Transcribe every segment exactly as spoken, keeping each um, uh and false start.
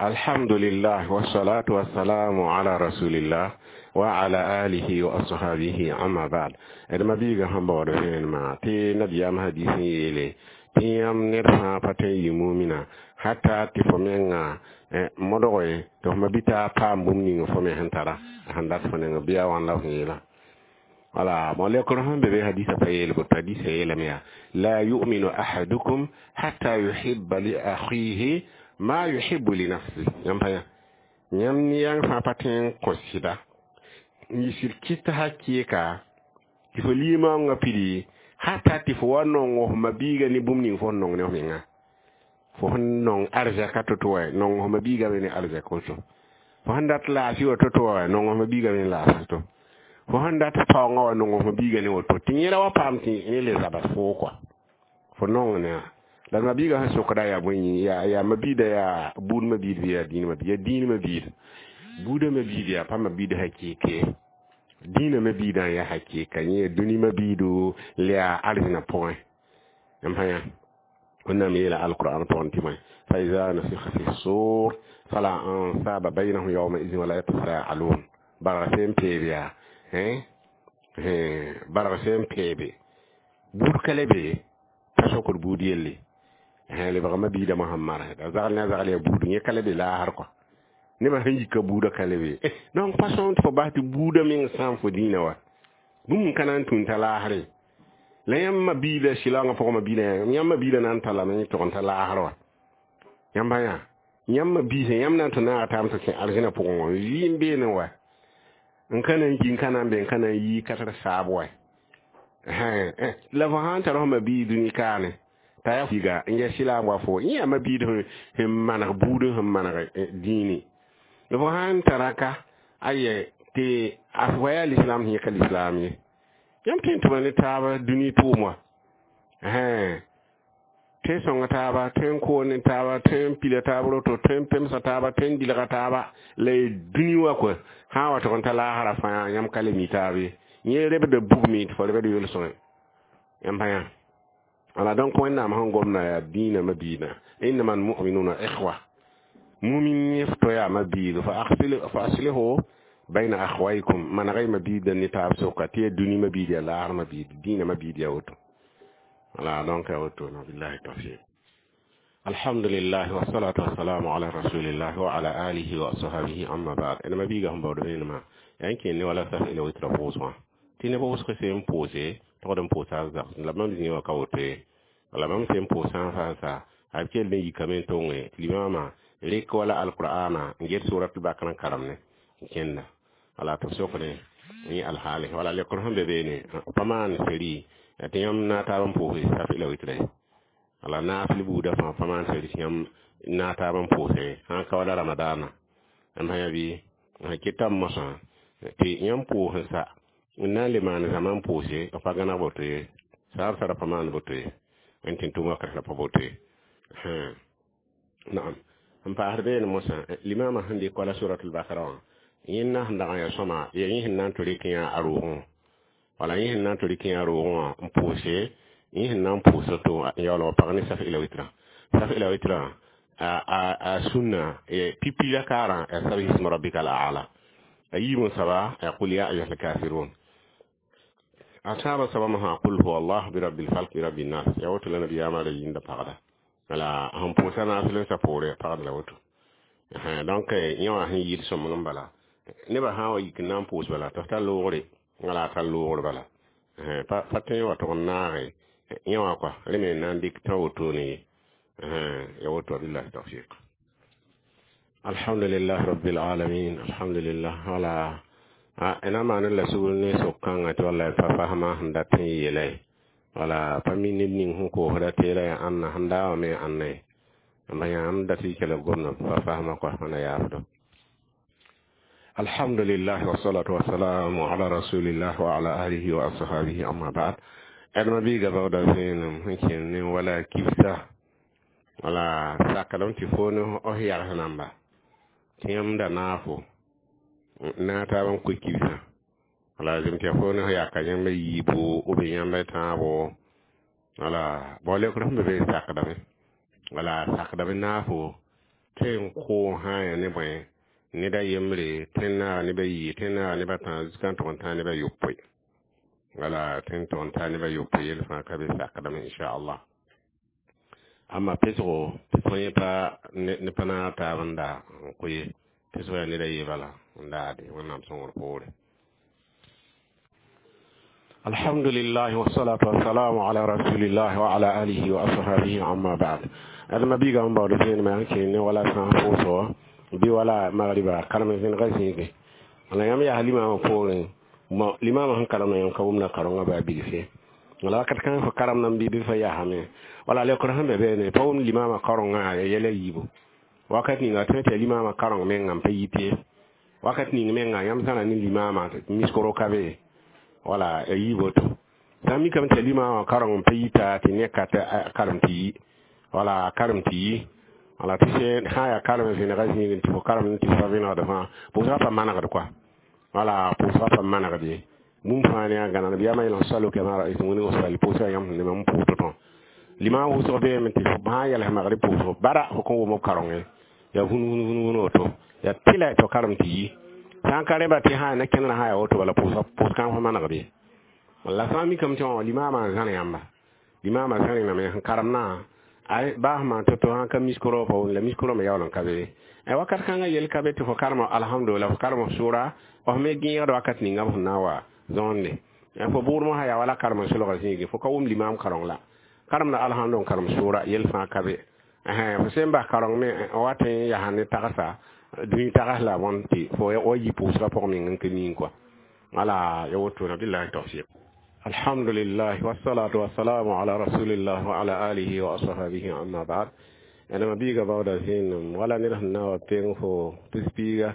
Alhamdulillah, wassalatu wassalamu ala rasulillah wa ala alihi wa ashabihi, amma ba'd. D ma-biigã sẽn baood vẽenemã tɩ nabiyaam hadis n yeele tɩ yãmb ned fãa pa tõe n yɩ mumina hata tɩ fo menga modge tɩ f ma bɩ t'a paam bũmb ning fo me sẽn tara sẽn dat fo neng bɩ a wãn la f yeela. Wala mo lekr sẽn be be hadisa pa yeel boto. Hadisa yeelame yaa: la yuminu ahadukum hatta yuhibba li akhihi ma yuhibbu li nafsi. Yãmb pa yã, yãmb yãng fãa pa tõe n kõ sɩda n yɩ sɩd kɩt hakɩɩka tɩ fo limaoongã pidi hata tɩ fo wa nong f ma-biiga ne bũmb ning fo sẽn nong ne f menga. Fo sẽn nong arzɛka to-to wa, nong f ma-biiga me ne arzɛk woto. Fo sẽn dat laafɩ wa to-to wa, nong f ma-biiga me ne laafɩ to. Fo sẽn dat paoongã wa, nong f ma-biiga ne woto, tɩ yẽra wa paam tɩ yẽ le zabas foo kɔa fo nong ne a la ma-biigã sẽn sokda yaa bõe? Yaa yaa ma-biida, yaa buud ma-biid bɩ yaa dĩin ma-biid? Yaa dĩin ma-biid. Buudã ma-biid yaa pa ma-biid hakɩɩke, dĩinã ma-biidã n yaa hakɩɩka. Yẽ yaa dũni ma-biido la yaa arzẽna pʋgẽ. Yãmb pa yã, Wẽnnaam yeela alqur'an pʋgẽ tɩ bõe? Fa iza nufikha fi sur fala ansaba baynahum yawma idin wala yatasaalun. Barg sẽn peeb yaa barg sẽn peebe, buud ka le be pa sokd buud yelle. Lebg ma-biidã mosã marsda zagl ne a zagl yaa buud yẽ ka le be laasr kɔ nebã sẽn yika buudã ka le be. Donc pa sõm tɩ fo bas tɩ buudã meng sãam fo dĩinã wa bũmb n ka na n tũn t'a laasre. La yãmb ma-biida sɩlaoongã pʋgã ma-biidã, yãmb ma-biidã na n tallame tʋg n ta laasr wa. Yãmb yã, yãmb ma-biisã, yãmb na n tɩ naaga taam tɩ kẽ arzẽna pʋgẽ wã vɩɩm beene wa n ka na n ki n ka na n be n ka na n yii ka tar saab wa. La fo sã n tar f ma-biig dũni kaane t'a yaa fiiga n yɛ sɩlaam wa fo yẽ yaa ma-biid sẽn maneg buud, sẽn maneg dĩini. Fo sã n tara ka ayɛ tɩ a wa yaa lislaam sẽn yẽ ka lislaam ye, yãmb tõe n tʋma ne taaba dũni tʋʋm wa, tõe n sõnga taaba, tõe n koon ne taaba, tõe n pila taab roto, tõe n pemsa taaba, tõe n dilga taaba la y dũni wa kɔ sã n wa tʋg n ta laasra fãa yãmb ka le mi taab ye. Yẽ rebda bugme tɩ fo rebd yʋl-sõng. Yãmb pa yã. Wala donc Wẽnnaam sẽn gomda yaa dĩinã ma-biidã: innama almuminuna ikhwa. Mumin yẽ f to yaa ma-biig, fa aslihu bayna akhwaykum, manega y ma-biidã ne taab sʋka tɩ yaa dũni ma-biid, yaa laasr ma-biid, dĩinã ma-biid yaa woto. Wala donc ya woto na billahi tawfiq. Alhamdulillah, wassalatu wassalamu ala rasulillah wa ala alihi wa ashabihi, amma ba'd. Ẽn ma-biigã sẽn baood vẽenemã yaa n kẽnd ne wala saf ila witra pʋʋsgã tɩ neb wʋsg sẽn pʋʋse togd n pʋʋsa zags la bãmb zĩig wã ka woto ye. Wala bãmb sẽn pʋʋsã fãa sa a b kell n yikame n tonge tɩ limamã rek wala alqur'ana n get surat bakr n karem ne n kẽnda. Wala tɩ b sokne yẽ alhaale wala lekr sẽn be beene pa maan seri tɩ yãmb na taab n pʋʋse saf ila witre. Wala naafɩl buudã fãa pa maan seri tɩ yãmb na taab n pʋʋse sã n ka wala ramadaana. Yãmb sã yaa bɩ keta mosã tɩ yãmb pʋʋs sa n na n le maan zãma n pʋʋse pa gãneg boto ye, saab sara pa maan boto ye, n tɩ tʋm wakat la pa boto ye. Naam, n paasd beene mosã limamã sẽn dɩk wala suratul bakara wã, yẽnda sẽn dag n yaa sõma yaa yẽ sẽn na n tɩ rɩk yã a roogẽ, wala yẽ sẽn na n tɩ rɩk yã a roogẽ wã n pʋʋse, yẽ sẽn na n pʋʋs to n yaool wa pag ne saf ila witrã. Saf ila witrã a a sũnna pipi la kaarã yaa sabih isma rabbika al a'la, a yiib n saba yaa qul ya ayuha alkafirun, a tãabã soaba mosã qul huwa allah, bi rabbil falq, bi rabbin nas. Yaa woto la nabiyaamã ra yĩnda pagda. Wala sẽn pʋʋsa naafɩl n sa poore pagd la woto. Donc yẽ wã sẽn yɩɩd sõmg n bala, nebã sã n wa yik n na n pʋʋs bala tɩ f tar loogre, wala a tar loogr bala pa tõe n wa tʋg n naage yẽ wã kɔa rẽ me n na n dɩk tã wotone ye. Ya woto, billahi tawfiq. Alhamdulillah rabbil alamin, alhamdulillah. Wala ẽna maan la sugr ne sok-kãngã tɩ wallay pa fasma sẽn dat n yeela ye, wala pa mi ned ning sẽn koosda tɩ yeela yaa ãnna sẽn daa wã me ãnna ye. Ãmba yãmb dat y kell gomda pa fasma kɔa wãna yaafdo. Alhamdulillah, wassalatu wassalamu ala rasulillah wa ala alihi wa ashabihi, amma ba'd. Ãdma biiga baooda vẽenem sẽn kẽnd ne wala kibsa, wala sakdame tɩ fo ne f yags namba tɩ yãmb da naafo na taab n koe kibsã. Wala zem tɩ yaa fo ne f yaka yãmb yiibo b yãmb tãabo. Wala bao lekr sẽn be be sakdame, wala sakdame naafo. tɩ n koog sã n yaa ne bõe ned a yembre tɩ n naag neb a yiib tɩ n naag neb a tãab jusqu'à n tog n tãag neb a yopoe wala tɩ n tog n taa neb a yopoe yel fãa ka be sakdame inchallah amma pesgo pesg yẽ pa ne pa naag taab n da n kʋ ye pesg yaa ned a ye bala n daade wẽnnaam sõngr poore الحمد لله والصلاة والسلام على رسول الله وعلى آله وأصحابه أما بعد هذا ما بيجا من بعد فين ما كان ولا سان فوسو بي ولا مغربا كرم فين غسيك أنا يوم يا لما فورين ما لما ما كرم يوم كومنا كرم با بيجي wala wakat kãng fo karem nan bɩ bɩ fa yaasame wala lekr sẽn be beene pa wʋm limaamã kaoongã ya yɛla yiibu wakat ninga tõe tɩ ya limaamã kaoreng mengã n pa yit ye wakat ning mengã yãmb zãra ne limaamã miskoro ka be wala ya yiib woto sã n mikame tɩ ya limaamã kaoreng n pa yita tɩ ne ka karem tɩ yi wala karem tɩ yi wala tɩ sã yaa karem vẽnega zĩigẽ tɩ fo karem tɩ fa vẽnegd fãa pʋʋsgã pa manegd koa wala pʋʋsgã pa manegd ye bũmb fãa ne a gãneg b yama yel salo kama ra'aytum wẽneg sal pʋʋsga yãmb sẽn ne mam pʋʋs tõ limaam wʋsg beeme tɩ sã n yɛls magrib pʋʋsg bara fo kõn wʋm b kaoongẽ yaa vũn vũn vũn vũn woto yaa tɩla tɩ karem tɩ yi sã n ka rẽba tɩ sã na kẽndrã sã yaa woto bala pʋʋsga pʋʋs kãng fo manegd ye la sã n mikame tɩ wã limaamã n zãr yãmba limaamã zãrẽname sẽn karemnã ay baa sẽn maan to-to sã n ka miskoro pa la miskoro me yaool n ka be wakat kãngã yel ka be tɩ fo karem alhamdulillah fo karem sʋra f me gẽegd wakat ninga f sẽn na n wa zõonde fo bʋʋd mosã yaa wala karem n solga zĩigi fo ka wʋm limaam kaoreng la karemda alhamdu n karem sʋʋra yel fãa ka be fo sẽn bas kaoreng me wat n yaa ne tagsa dũni tags la bõn tɩ fo wa yi pʋʋsgã pʋg meng n ka ning kɔa wala ya wotona billahi tawfiq الحمد لله والصلاة والسلام على رسول الله وعلى آله وأصحابه أما بعد أنا ما بيغا باودا زين ولا نرهنا وبين فو تسبيغا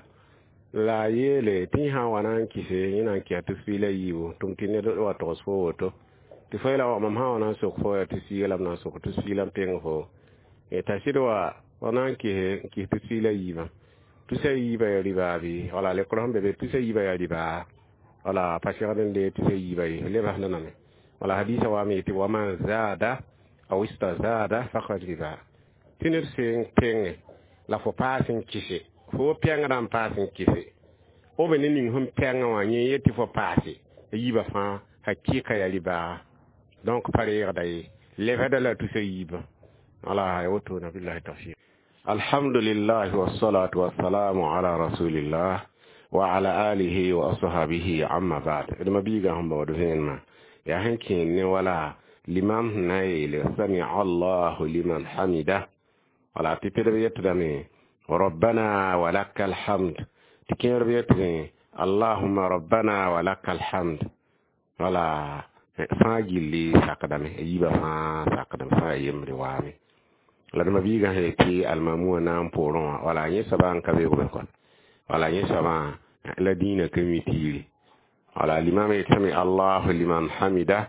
la yeele tɩ sã n wa na n kɩse yẽ na n kɩsa tɩ la yiibu tʋm tɩ ned wa togs fo woto tɩ fo la wa mam sã wa na n sok fo yaa tɩ la m na n sok tɩ la n peng fo t'a sɩd wa wa na n kɩse n kɩs tɩ la yiibã tusa yiibã yaa ribaa bɩ wala lekr sẽn be be tusa yiibã yaa ribaa wala pa segd n dee tusa yiibã ye lebsda name wala hadisa wa me tɩ wa man zaada aw istazada faqad riba tɩ ned sẽn penge la fo paas n kɩse fo pɛngdã n paas n kɩse b ne ning sẽn pɛngã wã yẽ yetɩ fo paase yiibã fãa hakɩɩka yaa ribaa donc pa reegda ye lebsda la tusa yiibã wala ya wotona billahi tawfiq alhamdulillah wassalatu wassalamu ala rasulillah wa ala alihi wa ashabihi amma ba'd d mabiiga sẽn baood vẽenemã yaa sẽn kẽen ne wala limam sẽn na n yeele samia allahu liman hamida wala tɩ pdb yetdame rabbana walaka alhamd tɩ kẽerb yetdẽ allahuma rabbana walaka alhamd wala fãa gilli sakdame a yiibã fãa sakdame fãa yembre waame la d mabiigã sẽn yetɩ almamu wã na n poorẽ wã wala yẽ soabã n ka beoogbe kɔa wala yẽ soabã la dĩinã ka mi tiiri wala limam yetame allahu liman hamida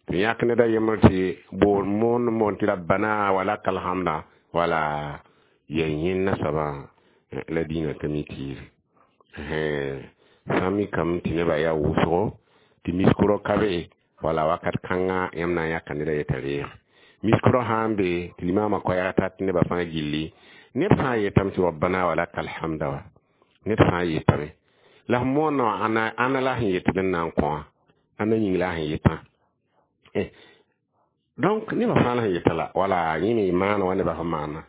tɩ yãk ned a yembr tɩ boor moon moon tɩ rabbana walaka alhamda wala yaa yẽnna soabã la dĩinã ka mi tiiri sã n mikame tɩ nebã yaa wʋsgo tɩ miskoro ka be wala wakat kãngã yãmb na n yãka ned a yetã reeg miskoro sã n be tɩ limaamã koɛɛg tat nebã fãa gilli ned fãa yetame tɩ rabbana walaka alhamda wa ned fãa yetame la f moonã wã ãna ãna la sẽn yet bẽn na n kõ wã ãna yĩng la sẽn yetã donc nebã fãa la sẽn yeta la wala yẽ me maana wa nebã sẽn maana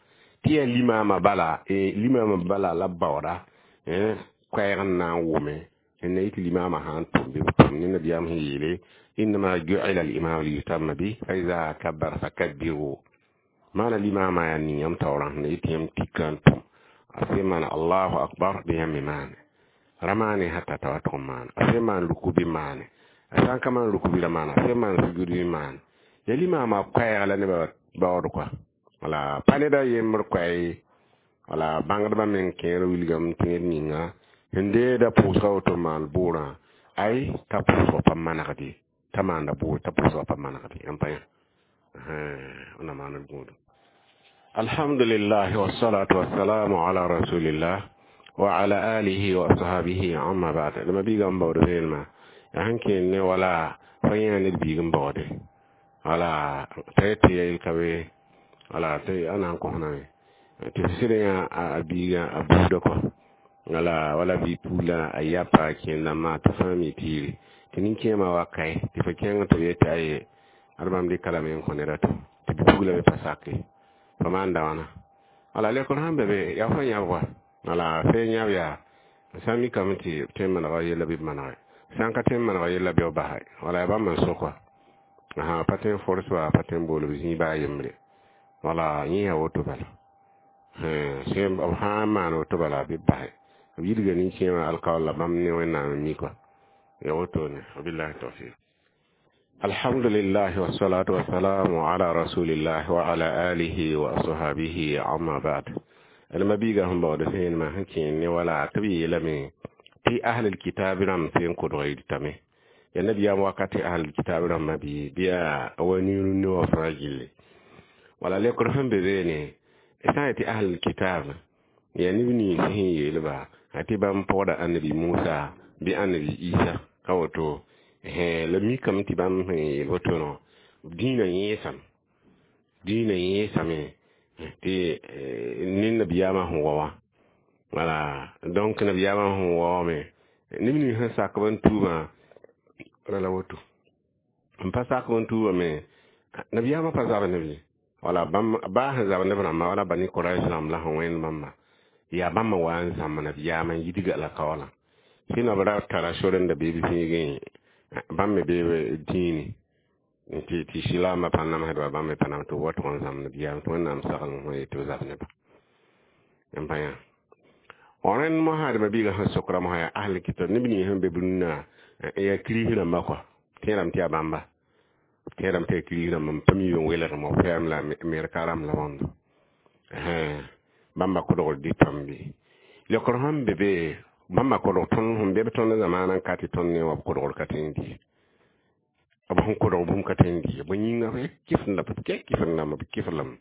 tɩ yaa limaamã bala limaamã bala la baooda koɛɛg n na n wʋme n na yit limaamã sã n tʋm bɩ b tʋm ne nabiyaam sẽn yeele إنما جعل الإمام ليتم به فإذا كبر فكبروا maana limaamã yaa ning yãmb taoorã sẽn yetɩ yãmb tikã n tʋm a sẽn maan allahu akbar bɩ yãmb me maane ra maane hata t'a wa tʋg n maana a sẽn maan ruku bɩ maane a sã n ka maan ruku bɩ ra maana a sẽn maan sujud bɩ maane ya limaamã koɛɛg la nebã baood kɔa wala pa ned a yembr koɛɛ ye wala bãngdbã meng kẽer wilgame tɩ ned ninga sẽn deeda pʋʋsga woto n maan bʋʋrã ay t'a pʋʋsg pa manegd ye t'a maanda bʋʋr t'a pʋʋsgã pa manegd ye n pa yã na maand gũudum alhamdulillah wassalatu wassalamu ala rasulillah wa ala alihi wa ashabihi amma ba'd d mabiiga n baood vẽenemã yaa sẽn kẽen ne wala fa yã ned biig n baoode wala t'a yetɩ ya yel ka be wala tɩ a na n kõsname Tɩ f sɩd yã a biigã a buudã kɔ wala wala bɩ puulã a yapa a kẽen-dãmbã tɩ fãa mi tɩ tɩ nin-kẽemã wa kae tɩ fo kẽng tɩ b yetɩ aye ad bãmb dɩka lame n kõ ned a to tɩ bi-pugla me pa sake fo maanda wãna wala lekr sẽn be be yaa fo yãb wa wala fee yãb yaa sã n mikame tɩ b tõe n manega yella bɩ b manege sã n ka tõe n manega yella bɩ b basa wala yaa bãmb n sok wa asa pa tõe n fors wa pa tõe n bool b zĩig baa yembre wala yẽ yaa woto bala sẽn b sã n maan woto bala bɩ b base b yidga nin-kẽemã alkaoor la bãmb ne Wẽnnaam n mi kɔa ya woto ne wabillahi tawfiq. Alhamdulillah wassalatu wassalamu ala rasulillah wa ala alihi wa ashabihi amma ba'd. Alma biiga sẽn baood sẽenmã sẽn kẽen ne wala tɩ b yeelame tɩ ahlul kitab rãmb sẽn kodg y dɩtame ya nabiyaam wakate ahlul kitab rãmbã bɩ bɩ yaa wa niirẽ ne wã fãa gilli wala lekr sẽn be beene sã n yetɩ ahlul kitab yaa neb nins sẽn yeelba tɩ bãmb pɔgda annabi Musa bɩ annabi Isa ka woto la mikame tɩ bãmb sẽn yeel woto no dĩinã yẽesame dĩinã yẽesame tɩ ne nabiyaamã sẽn wa wã wala donc nabiyaamã sẽn wa wã me neb nins sẽn sak b n tuubã la woto n pa sak b n tuubã me nabiyaamã pa zab ne bɩ wala bãmb baa sẽn zab neb rãmbã wala bani Korɛs rãmb la sẽn wẽnd bãmba yaa bãmb n wa n zãmb nabiyaamã n yidga la kaoolã sɩnã b ra tara sor n da bee b zĩigẽ bãmb me bee dĩini tɩ tɩ silaambã pa namsdba bãmb me pa nam tɩ b wa tʋg n zãmb nabiyaam tɩ Wẽnnaam sagl n yet tɩ b zab nebã n pa yã rẽnd mosã dma biigã sẽn sokra mosã yaa ahl kitab neb nins sẽn be b rũnnã yaa kiris rãmbã kɔa tẽedame tɩ yaa bãmba tẽedame tɩ yaa kiris rãmba n pa mi n welgem b pɛɛm la Amerika rãmb la bõndo bãmba kodgr dɩtame bɩ lekr sẽn be be bãmba kodg tõnd sẽn be b tõnd zamaana n ka tɩ tõnd ne wã b kodgr ka tõe n dɩ b sẽn kodg bũmb ka tõe n dɩ bõe yĩnga b kɩf b kɛ kɩf n b kɩf lame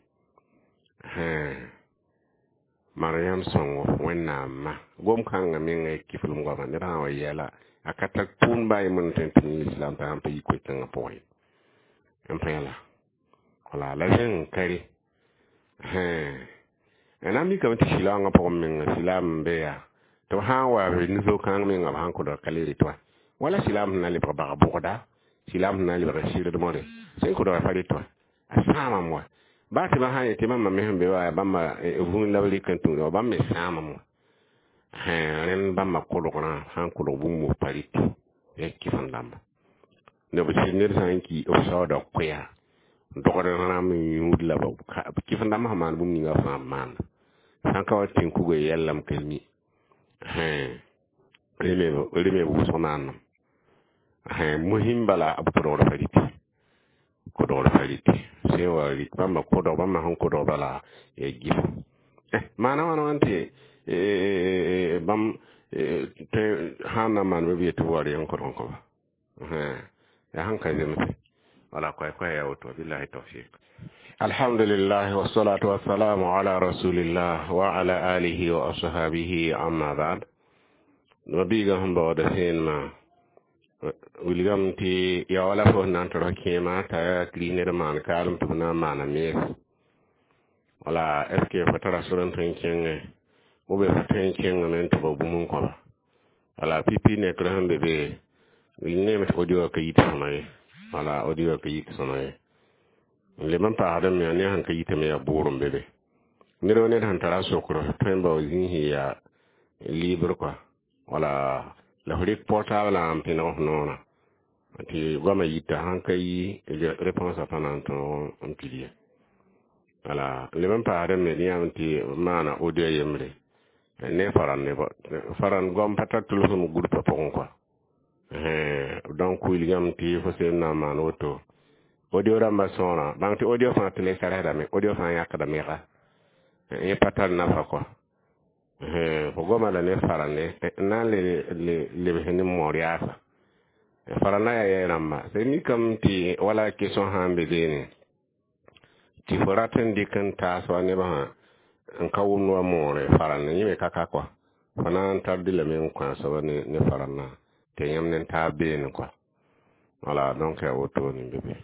Mariam sõngo Wẽnnaam ma gom-kãngã menga y kɩflem goama ned sã n wa yɛla a ka tar tʋʋm baa yembr n tõe n tɩ yẽ islam t'a sãn pa yi koe-kãngã pʋgẽ n pa yãla wala la zẽng ka re na n mikame tɩ silaoongã pʋgẽ menga silaam n be yaa tɩ b sã n wa b nu-zo-kãng menga b sãn kodg ka le rɩt wa wala silaam sẽn na n lebg bag bʋgda silaam sẽn na n lebg sɩrdmore sẽn kodga pa rɩt wa a sãamame wa baa tɩ bã sã n yetɩ bãmba me sẽn be wa bãmba vũun la b rɩk n tũuda wa bãmb me sãamame wa rẽnd bãmba kodgrã sã n kodg bũmb wʋsg pa rɩt ya kɩf n dãmba b sɩd ned sã n ki b saooda koɛa dogd rãmb n yũud la b kɩf n dãmb sẽn maan bũmb ninga fãa b maanda sã n ka wa tẽn-kuga yɛllame ka mi rẽ me b wʋsg maandem muhim bala b kodgr pa rɩtɩ kodgr pa rɩtɩ sẽn wa rɩt bãmba kodg bãmba sẽn kodg bala ya gɩfo maana wãna wãn tɩ bãmb tõe sã n na n maan bɩ b yetɩ b wa rɩ n kodg n kõ ba yaa sẽn ka zemse wala koɛ-koɛ yaa woto billahi tawfiq. Alhamdulillah wassalatu wassalamu ala rasulillah wa ala alihi wa ashabihi amma ba'd. Mabiiga sẽn baooda sẽenmã wilgame tɩ yaa wala fo sẽn na n tɩ kẽema t'a yaa kiris ned n maan kaalem tɩ b na n maana mees wala est ce que fo tara sor n tõe n kẽngẽ ou bien fo tõe n kẽngame n tʋg bũmb n kõba wala pipi nekr sẽn be be neeme tɩ audio ka yit sõma ye wala audio ka yit sõma ye n leb n paasd me ne sẽn ka yitame yaa bʋʋr n be be ned wa ned sẽn tara sokr tõe n bao zĩis yaa libre kɔa wala la f rɩk portable n pẽneg f noorã tɩ goamã yita sãn ka yi réponse pa na n tõog n pid ye wala leb n paasd me yãmb tɩ maana audio yembre ne faran ne faran goam pa tar tʋlsem groupe pʋgẽ kɔa donc wilgame tɩ fo sẽn na n maan woto audio rãmbã sõora bãng tɩ audio fãa tɩ le sarsdame audio fãa yãkda mega yẽ pa tar nafa kɔa fo goama la ne farane n na n le lebs ne moor yaasa farana yaa yɛ rãmba sẽn mikame tɩ wala question sã n be beene tɩ fo rat n dɩk n taas wa nebã n ka wʋmd wa moore farane yẽ me ka ka kɔa fo na n tar dɩ lame n kõ a soaba ne ne farana tɩ yãmb ne taab beene kɔa wala donc yaa wotone be be.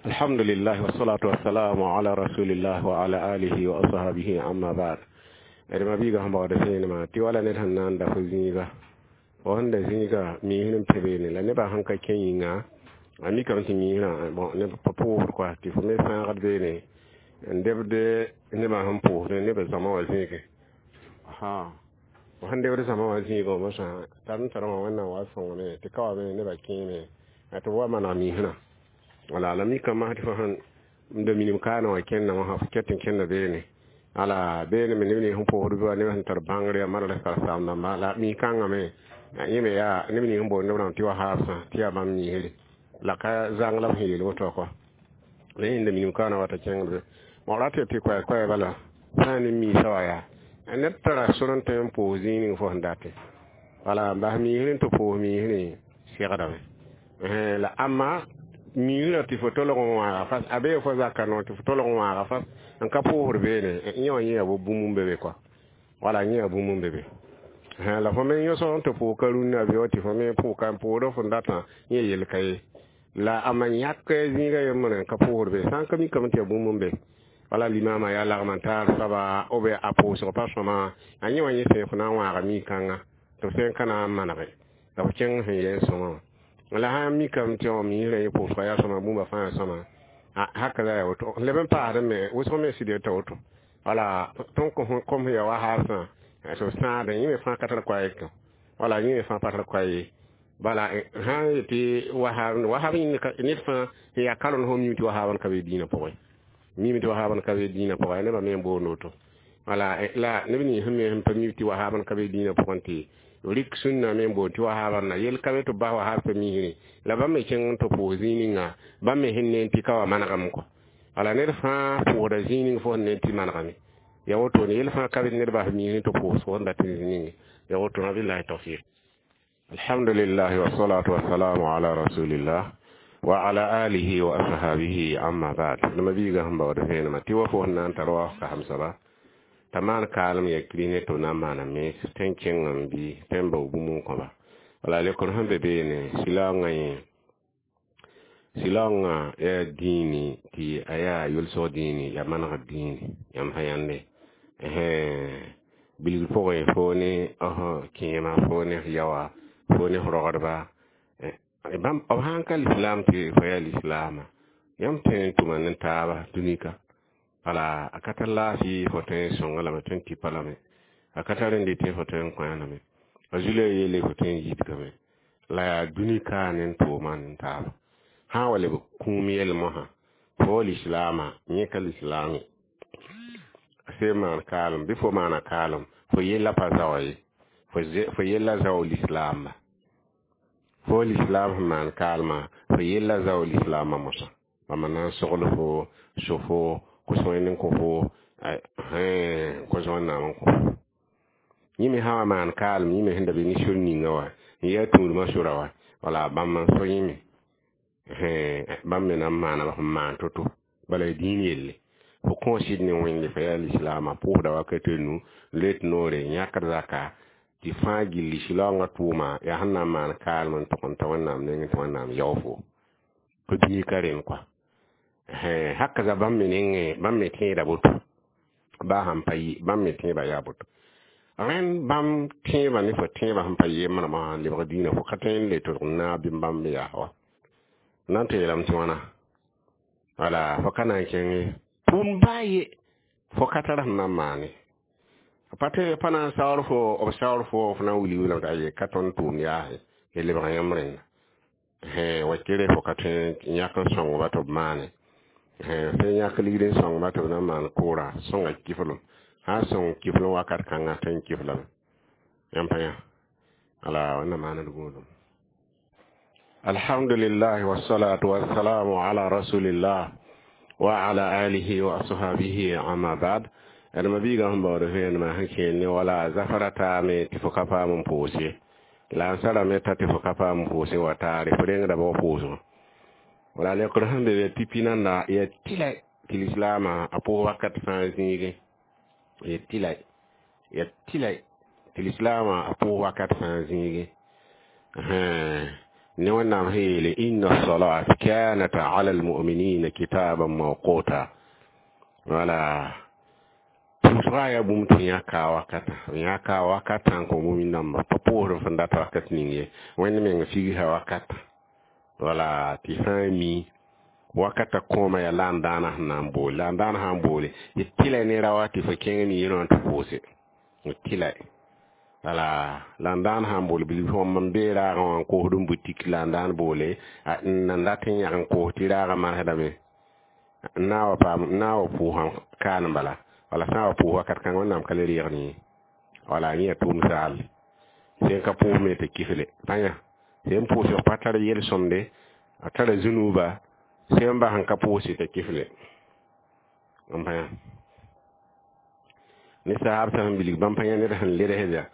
Alhamdulillah wassalatu wassalamu ala rasulillah wa ala alihi wa ashabihi amma ba'd. D ma-biigã sẽn baood vẽenemã tɩ wala ned sẽn na n da fo zĩiga fo sẽn da zĩiga miisr n pẽ beene la nebã sẽn ka kẽ yĩnga a mikame tɩ miisrã bon neb pa pʋʋsd kɔa tɩ fo me sãagd beene n debd nebã sẽn pʋʋsd neb zãma wã zĩigẽ fo sẽn debd zãma wã zĩigã mosã tar n tar wã wẽnnaam wa sõngame tɩ ka wa me nebã kẽeme tɩ b wa maneg miisrã wala la mikame tɩ fo sẽn da minim kaana wã kẽndã wã fo ket n kẽnda beene ala beene me neb nins sẽn pʋʋsd bɩ wa neb sẽn tar bãngr yaa madrasa karen-saam-dãmba la mi-kãngã me yẽ me yaa neb nins sẽn boond b rãmb tɩ wahaabsã tɩ yaa bãmb miisre la ka zãng la b sẽn yeel woto kɔ la yẽnda minim kaana wata kẽngd be bõ rat tɩ koɛɛ-koɛɛ bala sã n ne miisã wa yaa ned tara sor n tõe n pʋʋs zĩig ning fo sẽn date wala n bas miisr n tɩ pʋʋs miisrẽ segdame la ãmma miisrã tɩ fo tolg n wãaga fas a bee fo zaka noor tɩ fo tolg n wãaga fas n ka pʋʋsd beene yẽ wã yẽ yaa bo bũmb n be be kɔa wala yẽ yaa bũmb n be be la fo me yõsg n tɩ pʋʋg ka rũnnã be wa tɩ fo me pʋʋg n pʋʋsd fõn datã yẽ yel ka ye la ãmba yãk zĩiga yembre n ka pʋʋsd be sã n ka mikame tɩ yaa bũmb n be wala limama yaa lagm n taar soaba b a pʋʋsg pa sõma a yẽ wã yẽ sẽn fo na n wãaga mi-kãnga tɩ b sẽn ka na n manege la fo kẽng sẽn yɛ n sõma wã la sã n mikame tɩ miisrã yẽ pʋʋsga yaa sõma bũmba fãa yaa sõma haka la yaa woto leb n paasd me wʋsg me sɩd yeta woto wala tõnd kom sẽn yaa wahaabsã tɩ b sãadẽ yẽ me fãa ka tar koa ye wala yẽ me fãa pa tar koa ye bala sã n yetɩ wahab wahab ned fãa sẽn yaa karend fo mim tɩ wahaab n ka be dĩinã pʋgẽ mim tɩ wahaab n ka be dĩinã pʋgẽ nebã me n boond woto wala la neb nins sẽn me sẽn pa mim tɩ wahaab n ka be dĩinã pʋgẽ tɩ rik sũnna me n boond tɩ wahaab na yel ka be tɩ b bas wahaab tɩ miisrẽ la bãmb me kẽng n tɩ pʋʋs zĩig ninga bãmb me sẽn ne tɩ ka wa manegame kɔ wala ned fãa pʋʋsda zĩig ning fo sẽn ne tɩ manegame ya woto ne yel fãa ka be ned bas miisrẽ tɩ pʋʋs fo sẽn dat zĩig ninge ya woto billahi tawfiq. Alhamdulillah wassalatu wassalamu ala rasulillah wa ala alihi wa ashabihi amma ba'd. Nima biiga sẽn baood vẽenemã tɩ wa fo sẽn na n tar wa ka hamsaba t'a maan kaalem ya kiri ne tɩ b na n maana mens tɩ n kẽng n bɩ tɩ n bao bũmb n kõba wala lekr sẽn be beene sɩlaoongã yẽ sɩlaoongã yaa dĩini tɩ a yaa yʋlsg dĩini yaa manegd dĩini yãmb sã yãnde bilg pʋgẽ fo ne kẽema fo ne f yaoa fo ne f rogdba bãmb b sãn ka lislaam tɩ fo yaa lislaama yãmb tõe n tʋma ne taaba dũnika wala a ka tar laafɩ fo tõe n sõnga lame tõe n tipa lame a ka tar n dɩtẽ fo tõe n kõ lame a zulã yeele fo tõe n yidgame la yaa dũnika ne n tʋʋma ne taaba sã n wa leb kũum yɛl mosã fo lislaama yẽ ka lislaame sẽn maan kaalem bɩ fo maana kaalem fo yella pa zaoa ye fo yella zao lislaamba fo lislaam sẽn maan kaalmã fo yella zao lislaamã mosã bãmba na n sogl fo so fo kos wẽnd n kõ fo kos wẽnnaam n kõ fo yẽ me sã wa maan kaalem yẽ me sẽn da be ne sor ninga wa n yaa tũudmã sora wa wala bãmb n so yẽ me bãmb me na n maana sẽn maan to-to bala dĩin yelle fo kõo sɩd ne wẽnde fa yaa lislaamã pʋʋsda wakat nu let noore yãkd zaka tɩ fãa gilli sɩlaoongã tʋʋma yaa sẽn na n maan kaalem n tog n ta wẽnnaam nengẽ tɩ wẽnnaam yao fo pa dũni ka rẽnd kɔa haka za bãmb me nengẽ bãmb me tẽeda boto baa sãn pa bãmb me tẽebã yaa boto rẽnd bãmb tẽebã ne fo tẽebã sẽn pa yembrã wã lebg dĩinã fo ka tõe n le tʋlg n naab bɩ bãmb yaa wa na n tɩ yeelame tɩ wãna wala fo ka na n kẽng ye tʋʋm baa ye fo ka tar sẽn na n maane pa tɩ pa na n saoor fo b saoor fo fo na n wilg wilame t'a ye ka tõnd tʋʋm yaase y lebg yãmb rẽnda wa kere fo ka tõe n yãk n sõngba tɩ b maane fẽe yãk ligd n sõngba tɩ b na n maan kʋʋra sõnga kiflem sã n sõng kiflem wakat kãngã tõe n kiflame yãmb pa yã ala wẽnna maand gũudum. Alhamdulillah wassalatu wassalamu ala rasulillah wa ala alihi wa ashabihi amma ba'd. D ma-biigã sẽn baood vẽenemã sẽn kẽer ne wala zafra taame tɩ fo ka paam n pʋʋs ye la n sarame t'a tɩ fo ka paam n pʋʋse wa taare fo rengda ba pʋʋsgã wala lekr sẽn be be tɩ pinanda yaa tɩla tɩ lislaamã a pʋʋs wakat fãa zĩigẽ ya tɩla ya tɩla tɩ lislaamã a pʋʋs wakat fãa zĩigẽ Ne wẽnnaam sẽn yeele inna salat kanat ala almuminina kitaban mawquta. Wala pʋʋsga yaa bũmb tɩ yãka wakata, yãka wakatã n kõ mumin dãmba pa pʋʋsd f n data wakat ning ye. Wẽnd meng figsã wakata, wala tɩ sã n mi wakata kõoma yaa la n daana sẽn na n boole, la n daana sã n boole y tɩla ne ra wa tɩ fo kẽng miirã tɩ pʋʋse tɩla. Wala la n daan sã n boole bilf wãmb n bee raagã wã n koosd n butik, la n daan boole n nan dat n yãg n koos tɩ raagã marsdame n na wa paam n na wa pʋʋsã kaan bala. Wala sã n wa pʋʋs wakat kãng, Wẽnnaam ka le reegd yẽ. Wala yẽ yaa tʋʋm saal sẽn ka pʋʋs me tɩ kifle pãyã sẽn pʋʋsg pa tar yel-sõmde, a tara zũnuuba sẽn bas n ka pʋʋse tɩ kifle n pãyã ne saab sã n bilg bãmb pãyã ned sẽn ledsda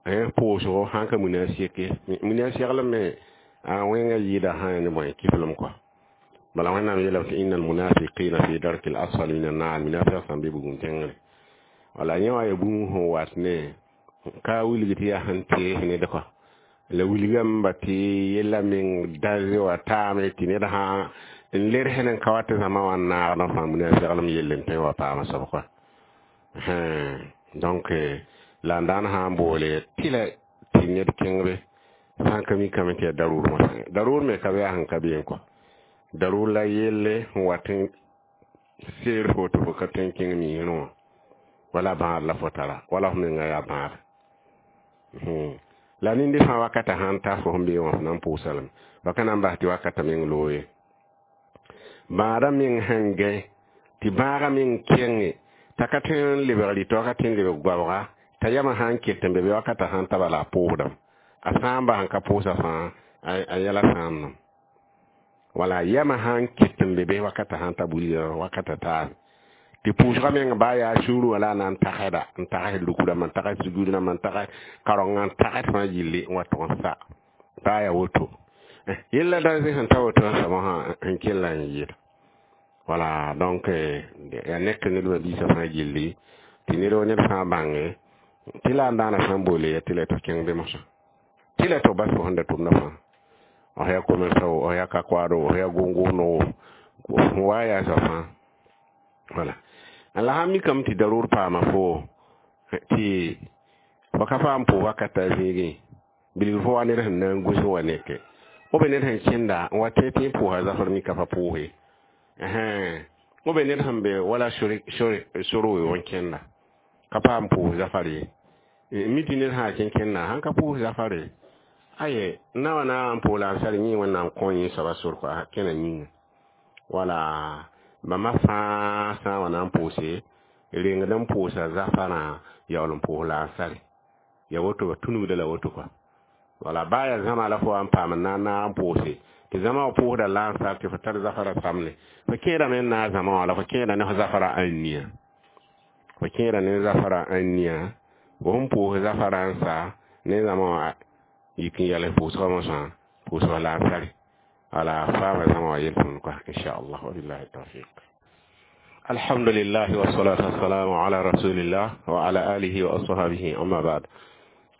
pʋʋsgo sãn ka muna seke muna seglem me a wẽngã yɩɩda sã ne bõe kiflem kɔa. Bala Wẽnnaam yeelame tɩ inna almunafiqina fi darki l asfal min annar, munafiq sãn be bugum tẽngre. Wala yẽ wã yaa bũmb sẽn wat ne ka wilg tɩ yaa sẽn tees ned kɔa, la wilgame ba tɩ yella meng dãnze wa taame tɩ ned sã n ledsd n ka wa tɩ zãma wã n naagd n fãa munafiglem yell n tõe wa paama soab kɔa. Donc la n daan sã n boole tɩla tɩ ned kẽngbe sã n ka mikame tɩ yaa darur mosã, darur me ka be yaa sẽn ka beem kɔa, darur la yelle n wat n seer fo tɩ fo ka tõe n kẽng miisrẽ wã, wala bãad la fo tara wala f menga yaa bãad. La nindi fãa wakata sãn ta fo sẽn bee wã fo na n pʋʋsa lame ba ka na n bas tɩ wakata meng loog ye. Bãadã meng sẽn gãe tɩ bãagã meng kẽnge t'a ka tõe n lebg rɩtɔ, ka tõe n lebg goabga t'a yamã sã n ket n be be wakata sãn ta bala a pʋʋsdame, a sã n bas n ka pʋʋsa fãa a yɛla sãamdame. Wala yamã sã n ket n be be wakata sãn ta bulga wakata taame tɩ pʋʋsgã meng baa yaa sũurẽ wã la a na n tagsda n tags rukd rãmb n tags sugr rãmb n tags karenga n tags fãa yille n wa tʋg n sa baa yaa woto yella dãnze sẽn ta woto sã mosã n kell n yɩɩda. Wala donc yaa nek ned biisã fãa gilli tɩ ned wa ned fãa bãnge tɩ la n daana sã n boole ya tɩ la tɩ kẽng be mosã tɩ la tɩ bas fo sẽn da tʋmda fãa, f yaa commerçant o, f yaa ka-koaado, f yaa gʋng-gʋmdo, wa yaa soab fãa. Wala la sã n mikame tɩ darʋʋr paama fo tɩ fo ka paam pʋʋs wakata zĩigẽ bilg fo wa ned sẽn na n gũs wa neke b be ned sẽn kẽnda n wa tẽ tɩ pʋʋsa zafr mika pa pʋʋse b be ned sẽn be wala sor weoog n kẽnda ka paam pʋʋs zafar ye, mi tɩ ned sã kẽ kẽnda sãn ka pʋʋs zafare aye na wa na n pʋʋs la n sar yẽ Wẽnnaam kõ yẽ soaba sor kɔa kẽna yĩnga. Wala bãmba fãa sã n wa na n pʋʋse rengd n pʋʋsa zafarã yaool n pʋʋs la n sare ya woto ba tũnugda la woto kɔa. Wala baa yaa zãma la fo wa n paam n na n naag n pʋʋse tɩ zãma wã pʋʋsda la n sar tɩ fo tar zafara samle fo kẽedame n naag zãma wã la fo kẽeda ne fo zafara ãnnia, fo kẽeda ne zafara ãnnia fo sẽn pʋʋs zafara n sa ne zãma wã yik n yɛls pʋʋsgã mosã pʋʋsg la n sare. Wala faama zãma wã yel-sõmd kɔa inchallah, wabillahi tawfiq. Alhamdulillah wassalatu wassalamu ala rasulillah wa ala alihi wa ashabihi, amma ba'd.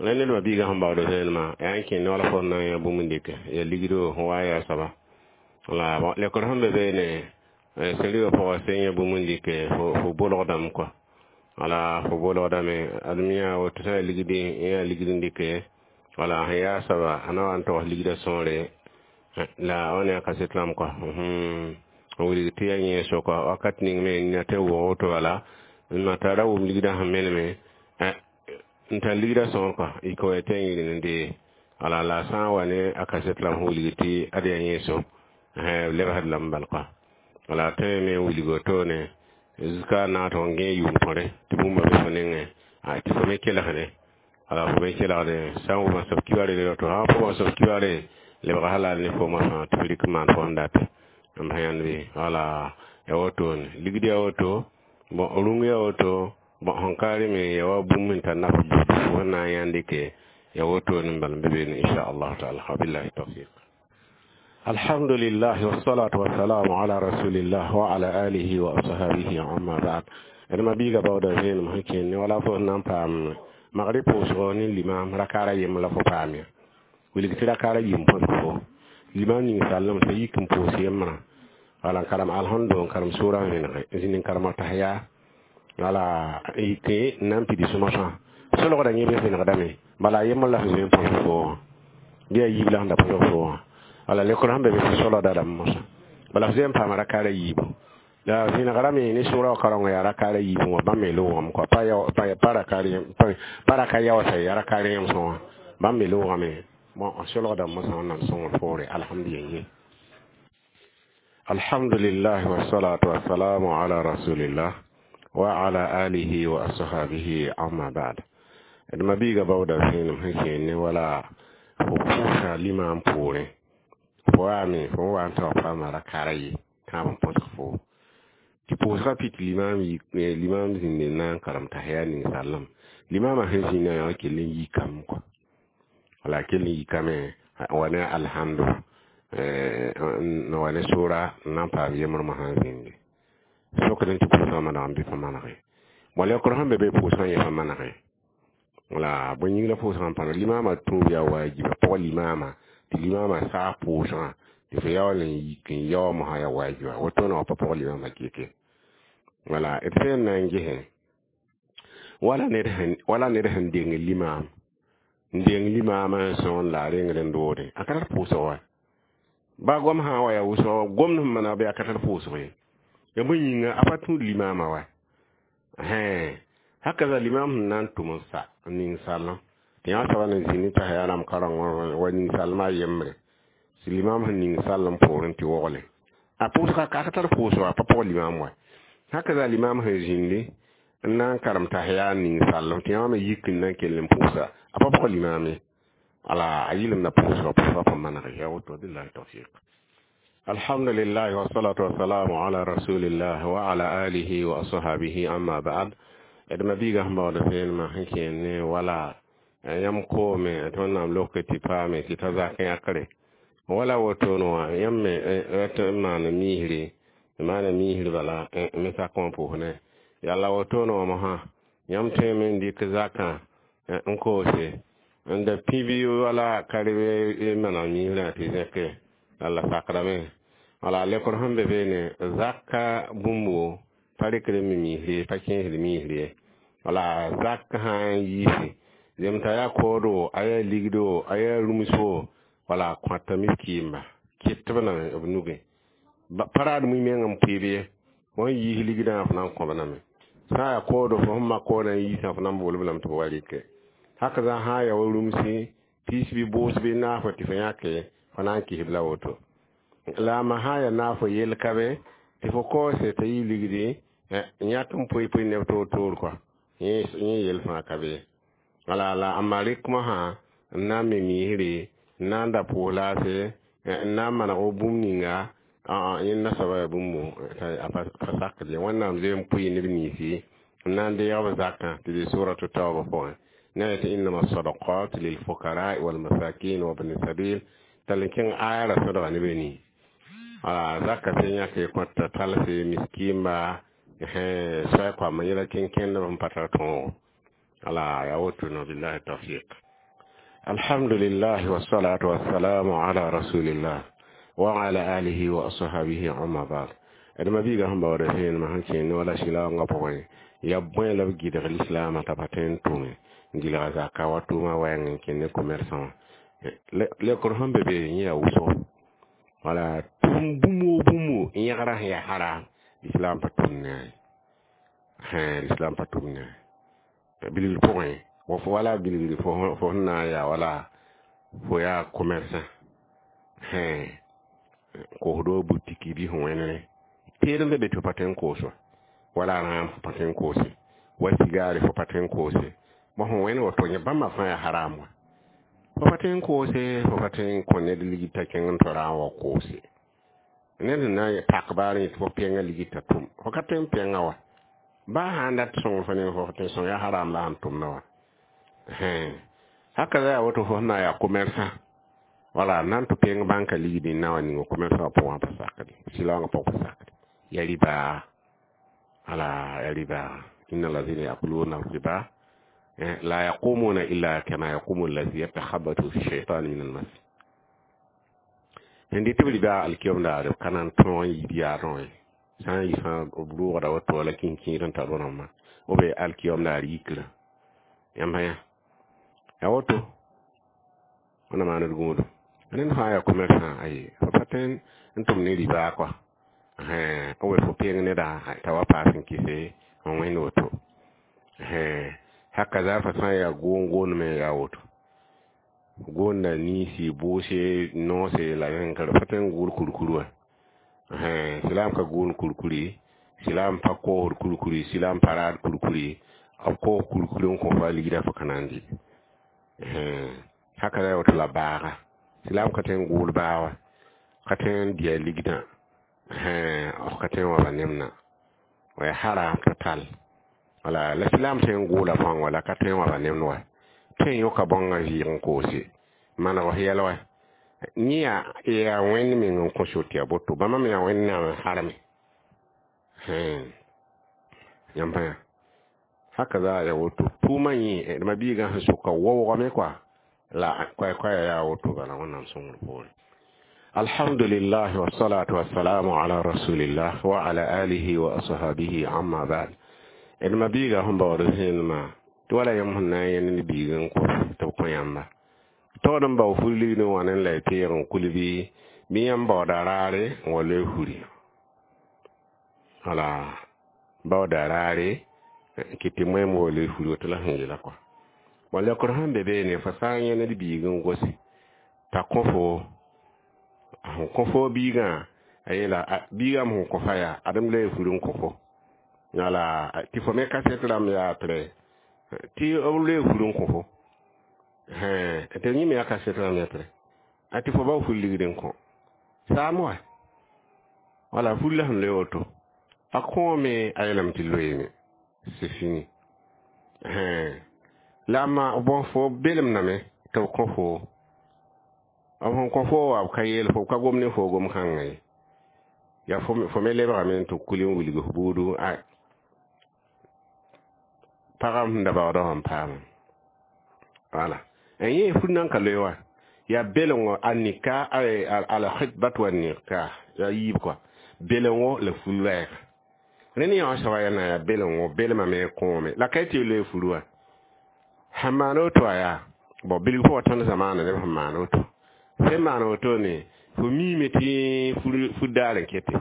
La ned biiga sẽn baood vẽenemã yaa n kẽ ne wala fo na n yã bũmb n dɩke ya ligdo sẽn wa yaa soaba la lekr sẽn be beene sẽn rɩga pʋgã sẽn yã bũmb n dɩke fo bolgdame kɔa. Wala fo bolgdame adem yã woto sã yaa ligdi yã ligd n dɩke wala sẽn yaa soaba a na wa n togs ligdã sõore la wã ne a kaset rãmb kɔa n wilg tɩ yaa yẽ sʋka wakat ning me n tɩ wʋg woto bala n tara ra wʋm ligdã sẽn meneme n tar ligdã sõor kɔa y ka wa tɩ n yɩl n dee. Wala la sã n wa ne a kaset rãmb sẽn wilg tɩ ad yaa yẽ so lebsd lame bal kɔa. Wala tõe me n wilg wotone zuka na tɩ n gẽ yʋʋm tõre tɩ bũmba be fo nengẽ tɩ fo me kelgde, wala fo me kelgde sã n wʋma soab kibaare le to sã n pʋgã soab kibaare lebg halal ne fo mosã tɩ f rɩk n maan fo n date n bas yãnd bɩ. Wala ya wotone ligd ya woto bon rũng ya woto bon sẽn ka reme ya wa bũmb sẽn tar naf fo sẽn na n yãnd dɩke ya wotone n bal n be beene inchallah taala, wabillahi tawfiq. Alhamdulillah wassalatu wassalamu ala rasulillah wa ala alihi wa ashabihi, amma ba'd. D ma biiga baooda vẽenem sẽn kẽnd ne wala fo sẽn na n paam magrɩ pʋʋsgo ne limam rakaara yem la fo paam ya wilg tɩ rakaara yim põs fo limam ning sallam sa yik n pʋʋs yembrã wala n karem alhamdu n karem sʋʋra n vẽnege n zĩnd n karem tahya wala yike n na n pidi sõma-sõa solgda yẽ be vẽnegdame bala a yembr la sẽn zoe n põsg fo wã bɩ a yiib la sẽn da põsg fo wã wala lekr sẽn be be tɩ solgda rãmb mosã bala f zoe n paama rakaara yiibu la vẽnegra me ne sʋʋra wã kaorengã yaa rakaara yiibu wã bãmb me loogame kɔa pa raka yaoosa yaa rakaar yẽmsẽ wã bãmb me loogame bon solgda mosã wẽnnaam sõngr poore alhamdulillah alhamdulillah wassalatu wassalamu ala rasulillah wa ala alihi wa ashabihi amma ba'd d mabiiga baooda vẽenem sẽn kẽer ne wala fo pʋʋsa limam poorẽ fo waame fo n wa n taoor paama rakaara ye tãab n põsg fo tɩ pʋʋsgã pit limam limam zĩnde n na n karem tahya ninsaalem limamã sẽn zĩnã yã kell n yikame kɔa wala kell n yikame wa ne alhamdu n wa ne sʋʋra n na n paam yembr mosã n zĩnde sokd n tɩ pʋʋsgã maneg n bɩ pa manege bõ lekr sẽn be be pʋʋsgã yẽ pa manege wala bõe yĩng la pʋʋsgã n pa limamã tũub yaa waajiba pʋg limama tɩ limama saag pʋʋsgã tɩ fo yaool n yik n yao mosã yaa waajiba wotone wã pa pʋg limama keke wala d sẽn na n gese wala ned sẽn wala ned sẽn deng limam n deng limaamã n sõon la a rengd n doode a ka tar pʋʋsg wa ba gom sã wa yaa wʋsg gomd sẽn maneg bɩ a ka tar pʋʋsg ye ya bõe yĩnga a pa tũud limaamã wa haka limam sẽn na n tʋm n sa n ning sallem tɩ yã soaba na zĩnd t'a yaa rãmb kaoreng wa ning salmã a yembre tɩ limam sẽn ning sallem poorẽ tɩ wogle a pʋʋsga ka tar pʋʋsg a pa pʋg limam wa haka limam sẽn zĩndi n na n karem tahya n ning sallem tɩ yã me yik n na n kell n pʋʋsa a pa pʋg limam ye ala a yɩlemda pʋʋsga pʋʋsga pa maneg ya woto billahi tawfiq alhamdulillah wassalatu wassalamu ala rasulillah wa ala alihi wa ashabihi amma ba'd d mabiiga sẽn baood vẽenemã sẽn kẽer ne wala yãmb koome tɩ wẽnnaam lok tɩ paame tɩ ta zak yãkre wala wotone wã yãmb me n maan miisre n maana miisr bala me sak wã pʋʋsne yalla wotone wã mosã yãmb tõeme n dɩk zakã n koose n da pĩb wala karb maneg miisrã tɩ zẽke la sakdame wala lekr sẽn be beene zaka bũmbo pa rɩkd n me miisr pa kẽesd miisr ye wala zak sã n yiise zemta yaa kooodo a yaa ligdo a yaa rũmso wala kõta miskiimba ket b name b nugẽ pa raad mui meng n pʋɩb ye fo n yiis ligdã f na n kõb name sã n yaa kooodo fo sẽn mak koodã n yiisã fo na n bool-b lame tɩ b wa rɩke haka zã sã n ya wa rũmsi piis bɩ boos bɩ naafo tɩ fo yãke fo na n kɩsb la woto la a ma sã n yaa naafo yell ka be tɩ fo koose t'a yɩ ligdi yãk n poe poe neb toor toor kɔa yẽ yell fãa ka be wala la a ma rɩk mosã n na n me miisre n na n da pʋʋs laase n na n maneg bũmb ninga yẽnda soaba yaa bũmb a pa sakd ye wẽnnaam zoe n pʋɩ neb ninsi n na n deeg b zakã tɩ bee suratu tauba pʋgẽ na yetɩ innama sadaqat lilfukara walmasakin wa bni sabil tall n kẽng aya ra sõdga ne be nii wala zaka sẽn yãke kõta talse miskimba soay koamã yẽla kẽn-kẽndb n pa tar tõogo ala ya woto no billahi tawfiq alhamdulillah wassalatu wassalamu ala rasulillah wa ala alihi wa ashabihi amma ba'd d mabiiga sẽn baooda vẽenemã sẽn kẽer ne wala sɩlaoongã pʋgẽ yaa bõe la b gɩdg lislaamã t'a pa tõe n tʋme n gɩlga zaka wa tʋʋmã wɛɛng n kẽnd ne commerçant wã lekr sẽn be be yẽ yaa wʋsgo wala tʋm bũmb o bũmbo n yẽgra sẽn yaa haram islam pa tʋm ne a islam pa tʋm ne a bilgr pʋgẽ fo wala bilgr fo sẽn na n yaa wala fo yaa commerçant kosdo butiki bɩ sẽn wẽnere teed n be be tɩ fo pa tõe n koos wa wala rãam fo pa tõe n koose wa sigaare fo pa tõe n koose bõ sẽn wẽnd woto yẽ bãmba fãa yaa haram wa fo pa tõe n koose fo pa tõe n kõ ned ligd t'a kẽng n tɩ raam wa koose ned sẽn na n pak baar yẽ tɩ fo pẽnga ligd t'a tʋm fo ka tõe n pẽnga wa baa sã n dat sõngr fo ne fo tõe sõng yaa haram la sẽn tʋmda wa haka yaa woto fo sẽn na n yaa commerçant wala nan tɩ pẽng bãnka ligd n na wa ning commerçant wã pʋgã pa sakde sɩlaoongã pʋg pa sakde ya riba ala ya riba inna allazina yakuluna riba la yaqumuna illa kama yaqumu allazi yatakhabbathu fi shaytan min almas Sẽn dɩt b rɩba alkiyom daare b ka na n tõog n yiib yaadẽ wã ye. Sã n yi fãa b roogda woto la kĩnkĩir n tar rãmbã b be alkiyom daar yikrã yãmb yã ya woto wẽnna maan d gũudum. Ned fãa yaa commerçant aye fo pa tõe n tʋm ne ribaa kɔa b we fo peng neda t'a wa paas n kɩse n wẽnd woto haka za fa sã n yaa goong goond me yaa woto goonda niisi bʋʋse noose la yẽnkr pa tõe n gʋʋd kurkur wã silaam ka gʋʋnd kurkuri silaam pa koosd kurkuri silaam pa raad kurkuri b koos kurkur n kõ fo a ligda fo ka na n dɩ haka za woto la baaga silaam ka tõe n gʋʋd baa wã ka tõe n dɩ a ligdã f ka tõe n waba nemna wa haram total wala la silaam tõe n gʋʋla bãong wala ka tõe n waba nemd wa tõe n yõka bãongã vɩɩg n koose maneg f yɛl wa yẽ yaa yaa wẽnd meng n kõ so tɩ ya boto bãmba me yaa wẽnnaam n harme yãmb yã haka za ya woto tʋʋmã yẽ d ma-biigã sẽn soka waoogame koa la koɛ-koɛɛ yaa woto bala wẽnnaam sõngr poore. Alhamdulillah wassalatu wassalamu ala rasulillah wa ala alihi wa ashabihi amma ba'd. D ma-biiga sẽn baood zẽnemã tɩ wala yãmb sẽn na n yẽnd ne biig n kos tɩ b kõ yãmba taood n bao fur ligd n wa ne la y peeg n kul bɩ bɩ yãmb baooda raare n wa loe furi wala baooda raare kɩ tɩ moẽm wa loe furi woto la sẽn yeela kɔa bõn leokr sẽn be beene fo sã n yẽnd biig n gose t'a kõ fo sẽn kõ fo biigã a yeela biigame sẽn kõ fa yaa adem la y fur n kõ fo wala tɩ fo me kasɛt rãmb yaa prɛ tɩ b loe fur n kõ fo tɩ yẽ me yaa kasɛt rãmb yaa prɛ a tɩ fo bao fur ligd n kõ saam wa wala fur la sẽn loe woto a kõome a yeelame tɩ loeeme c'est fini la ma bõn fo belemdame tɩ b kõ fo b sẽn kõ fo wa b ka yeel fo b ka gom ne fo gom kãngã ye yaa fo me lebgame tɩ kul n wilg f buudu a pagam sẽn da baoodã wã n paama wala n yẽ fur nan ka loe wa yaa belengo a nika al khitbat wa nikah yaa yiib kɔa belengo la fur loɛɛga rẽnd yã wã soaba yaa na yaa belengo belmame kõome la ka tɩ loe fur wã sẽn maan woto a yaa bõ bilg pʋgã tõnd zamaana neb sẽn maan woto sẽn maan woto ne fo miime tɩ fur daar n kete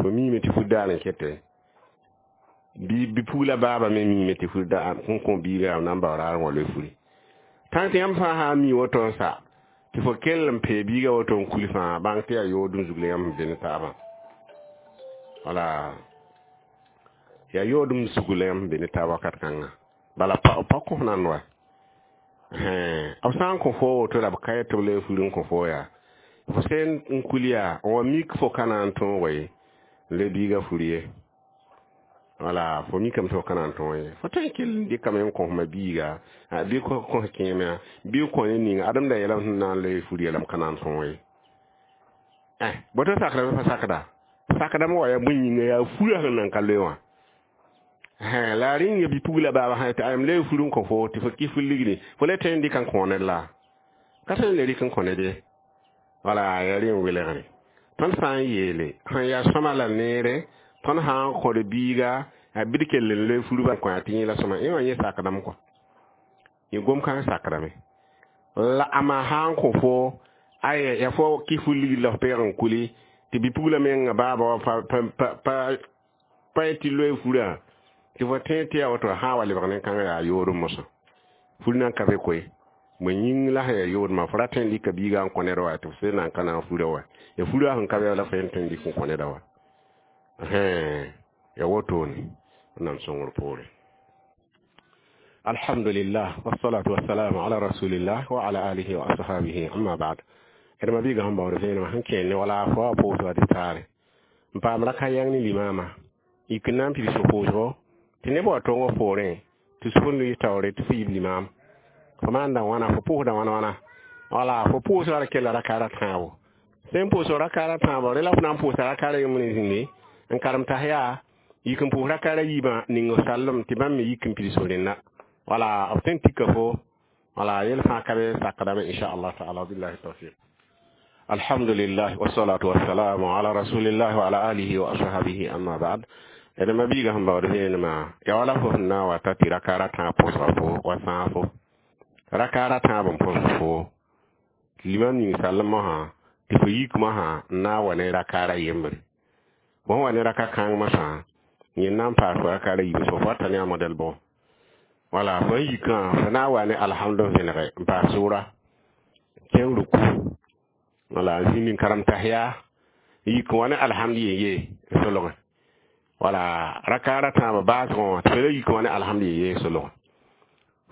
fo miime tɩ fur daar n kete bɩ bi-pugla baaba me miime tɩ fur daar n kõ biiga na n bao raar n wa loe furi tãng tɩ yãmb fãa sã n mi woto n sa tɩ fo kell n pee biiga woto n kul fãa bãng tɩ yaa yoodem zug la yãmb sẽn be ne taabã wala yaa yoodem zug la yãmb sẽn be ne taab wakat kãnga bala pa pa kõ nand wa b sã n kõ fo woto la b ka yet tɩ b loe fur n kõ fo yaa fo sẽn n kul yaa n wa mik fo ka na n tõog ye n le biiga fur ye wala fo mikame tɩ fo ka na n tõog ye fo tõe n kell n dɩkame n kõ fma biiga bɩ kõ kẽemã bɩ kõ ne ning adem da yeelame sẽn na n loe fur yeelame ka na n tõog ye boto sakda bɩ pa sakda sakdame wa yaa bõe yĩnga yaa furã sẽn nan ka loe wã la rĩnga bi-pugla baaba sã tɩ ayem loe fur n kõ fo tɩ fo kɩ fur ligdi fo le tõe n dɩk n kõ ned la ka tõe n le rɩk n kõ ned ye wala yaa rẽ n welgre tõnd sã n yeele sẽn yaa sõma la neere tõnd sã n kõd biiga a bɩ d kell n loe furba kõ tɩ yẽ la sõma yẽ wã yẽ sakdame kɔa yẽ gom-kãng sakdame la a maa sã n kõ fo aya ya fo kɩ fur ligd la f peeg n kuli tɩ bi-pugla menga baaba wã pa pa pa tɩ loe furã tɩ fo tẽ tɩ yaa woto sã n wa lebg nen-kãngã yaa yoodem mosã fur nan ka be koe bõe yĩng la sẽn yaa yoodmã fo ra tõe n dɩka biigã n kõ ned wa tɩ f sẽn na n ka na n furã wa ya furã sẽn ka be la fo yẽn tõe n dɩk n kõ neda wa ya wotone wẽnnaam sõngr poore. Alhamdulillah wassalatu wassalamu ala rasulillah wa ala alihi wa ashabihi amma ba'd. D ma-biigã sẽn baood vẽenemã sẽn kẽer ne wala fo wa pʋʋs wa tɩ taare n paam raka yãng ne limama yik n na n pids pʋʋsgo tɩ neb wa tong f poorẽ tɩ sʋk n lʋɩs taoore tɩ fo yib limam fo maanda wãna fo pʋʋsda wãna wãna wala fo pʋʋsga ra kella rakaara tãabo sẽn pʋʋsg rakaara tãabo rẽ la fo na n pʋʋsa rakaara yembr n zĩnde n karem tas yaa yik n pʋʋs rakaara yiibã ning f sallem tɩ bãmb me yik n pids f rẽnda wala b tõe n tika fo wala yel fãa ka be sakdame inchallah taala billahi tawfiq. Alhamdulillah wassalatu wassalamu ala rasulillah wa ala alihi wa ashabihi amma ba'd. D ma biiga sẽn baood vẽenemã ya wala fo sẽn na n wa ta tɩ rakaar a tãab pʋsga fo wa sãafo rakaar a tãab n pʋsg fo limam ning sall mosã tɩ fo yik mosã n na n wa ne rakaar a yembre fo sẽn wa ne raka kãng mosã yẽ na n paas fo rakaar a yiib fo wata ne a modɛl bʋg wala fo n yikã fo na n wa ne alhamd n vẽnege n paas sʋʋra kẽng ruku wala n zĩnd n karem tahiya n yik n wa ne alhamd yen-ye n solge wala rakaar a tãabã baasgẽ wã tɩ fo la yik n wa ne alhamd yen-ye n solge